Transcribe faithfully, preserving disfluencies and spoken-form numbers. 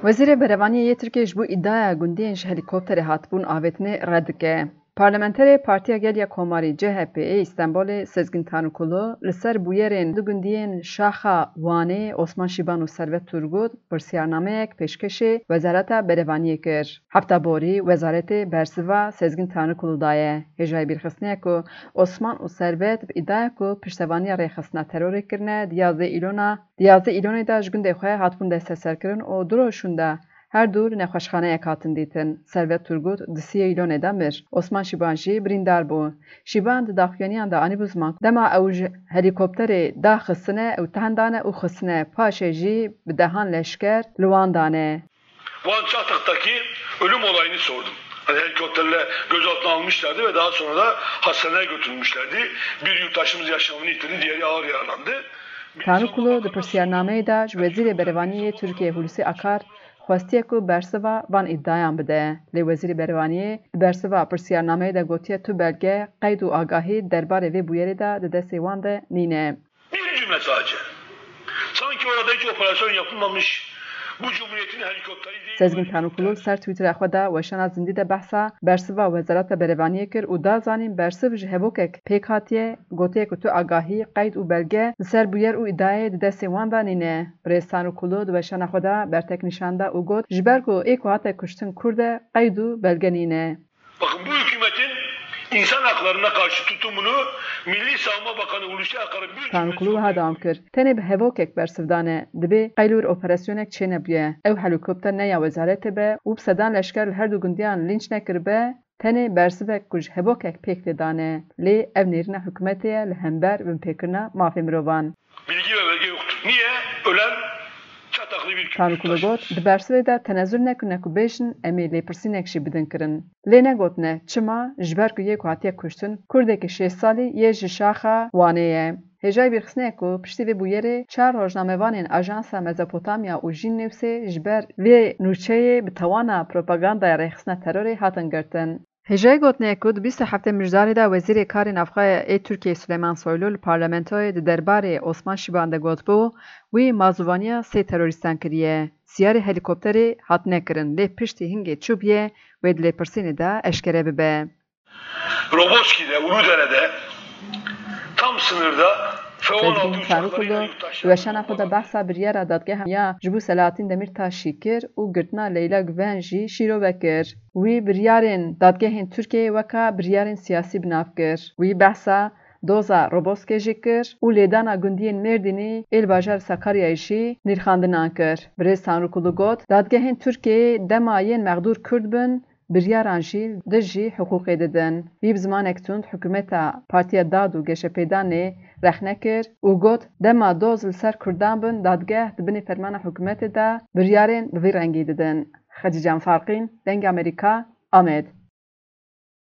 Wezîrê Berevaniyê yê Tirkiyê ji bo îdiaya gundiyên ji helîkopterê hatibûn avêtinê red dike. Parlamenterê Partiya Gel ya Komarî C H P ê Îstenbolê Sezgin Tanrıkulu li ser bûyerên du gundiyên Şaxa Wanê Osman Şiban û Servet Turgut pirsiyarnameyek pêşkêşê Wezareta Berevaniyê kir. Hefta borî wezaretê bersiva Sezgin Tanrıkulu daye. Hêjayî bîrxistinê ye ku Osman û Servet bi îdiaya ku piştevaniya rêxistina terorê kirine, di yazdeh Îlona, di yazdeh Îlonê de ji gundê xwe hatibûn desteserkirin û du roj şûnde her du li nexweşxaneyek hatin dîtin. Servet Turgut di siyê Îlonê de mir. Osman Şiban jî birîndar bû. Şiban di daxuyaniyan de anîbû ziman ku dema ew ji helîkopterê daxistine, ew tendane û xistine. Paşê jî bi dehan leşker li wan dane. Van Çatak'taki ölüm olayını sordum. Hani helikopterle gözaltına almışlardı ve daha sonra da hastaneye götürmüşlerdi. Bir yurttaşımız yaşamını yitirdi, diğeri ağır yaralandı. Tanrıkulu di pirsiyarnameyê de ji Wezîrê Berevaniyê yê Tirkiyê Hulusi Akar xwestiye ku bersiva van îdiayan bide. Lê Wezîrê Berevaniyê di bersiva pirsiyarnameyê de gotiye tu belge, qeyd û agahî derbarê vê bûyerê de di destê wan de nîne. Bir cümle sadece. Sanki orada hiç operasyon yapılmamış, bu cumhuriyetin helikopteri değil. Sezgin Tanrıkulu ser Twitter'a xwe de weşana zindî de behsa bersiva Wezareta Berevaniyê kir û da zanîn bersiv ji hevokek pêk hatiye, gotiye ku tu agahî, qeyd û belge li ser bûyer û îdiayê di destê wan de nîne. Birêz Tanrıkulu di weşana xwe de bertek nîşan da û got, ji ber ku ê ku hate kuştin Kurd e, qeyd û belge nîne. Bakın, bu hükümetin insan haklarına karşı tutumunu Milli Savunma Bakanı Hulusi Akar'ın bir cümlesi Tanrıkulu wiha dewam kir, tenê bi hevokek bersiv dane, dibê qeylûr operasyonek çênebûye. Ew helîkopter ne ya wezaretê be û bi sedan leşker li her du gundiyan lînç nekiribe, tenê bersivek ku ji hevokek pêk tê dane. Lê ev nêrîna hikûmetê ye li hember binpêkirina mafê mirovan. Bilgi ve belge yoktur. Niye? Ölen Çataklı bir Tanrıkulu got, di bersivê de tenezul nekirine ku bêjin em ê lêpirsînek jî bidin kirin. Lê negotine çima, ji ber ku yê ku hatiye kuştin, Kurdekî şêst salî yê ji Şaxa Wanê ye. Hêjayî bîrxistinê ye ku piştî vê bûyerê çar rojnamevanên Ajansa Mezopotamya û Jîn Newsê ji ber vê nûçeyê bi tawana propagandaya rêxistina terorê hatin girtin. Hêjayî gotinê ye ku di bîst û heftê Mijdarê de Wezîrê Karê Navxwe ê Tirkiyeyê Suleyman Soylu li parlamentoyê di derbarê Osman Şiban de gotibû, wî mazûvaniya sê terorîstan kiriye. Siyarê helîkopterê hatine kirin, lê piştî hingê çûbûye wê di lêpirsînê de eşkere bibe. Roboski'de, Uludere'de tam sınırda F on altı Sezgin uçaklarıyla Çarıkulu yurttaşlarını di weşana xwe de kovalıyor. Behsa biryara dadgeha ya ji bo Selahattin Demirtaşî kir û girtina Leyla Güven jî şîrove kir. Wî biryarên dadgehên Tirkiyeyê weka biryarên siyasî bi nav kir. Wî behsa doza Roboskê jî kir û lêdana gundiyên Mêrdînî ê li bajarê Sakaryayê jî nirxandinan kir. Birêz Tanrıkulu got, dadgehên Tirkiyeyê dema yên mexdûr Kurd bin, biryaran jî dijî hiqûqê didin. Wî bi zimanek tund hikûmeta Partiya Dad û Geşepêdanê rexne kir û got, dema doz li ser Kurdan bin, dadgeh di binê fermana hikûmetê de biryarên bi vî rengî didin. Xecîcan Farqîn, Dengê Amerîka, Amed.